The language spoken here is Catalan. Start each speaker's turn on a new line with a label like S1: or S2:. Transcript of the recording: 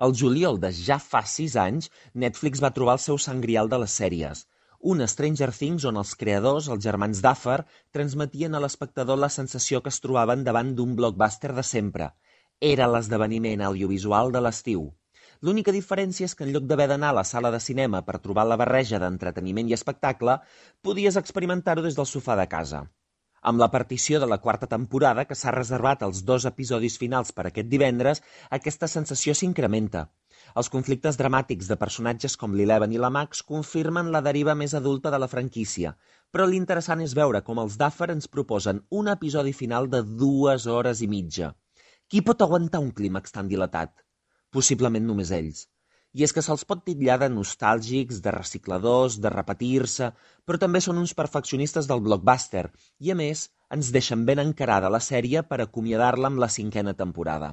S1: Al juliol de ja fa 6 anys, Netflix va trobar el seu sant grial de les sèries. Un Stranger Things on els creadors, els germans Duffer, transmetien a l'espectador la sensació que es trobaven davant d'un blockbuster de sempre. Era l'esdeveniment audiovisual de l'estiu. L'única diferència és que en lloc d'haver d'anar a la sala de cinema per trobar la barreja d'entreteniment i espectacle, podies experimentar-ho des del sofà de casa. Amb la partició de la quarta temporada, que s'ha reservat als 2 episodis finals per aquest divendres, aquesta sensació s'incrementa. Els conflictes dramàtics de personatges com l'Eleven i la Max confirmen la deriva més adulta de la franquícia, però l'interessant és veure com els Duffer ens proposen un episodi final de 2 hores i mitja. Qui pot aguantar un clímax tan dilatat? Possiblement només ells. I és que se'ls pot titllar de nostàlgics, de recicladors, de repetir-se, però també són uns perfeccionistes del blockbuster i, a més, ens deixen ben encarada la sèrie per acomiadar-la amb la 5a temporada.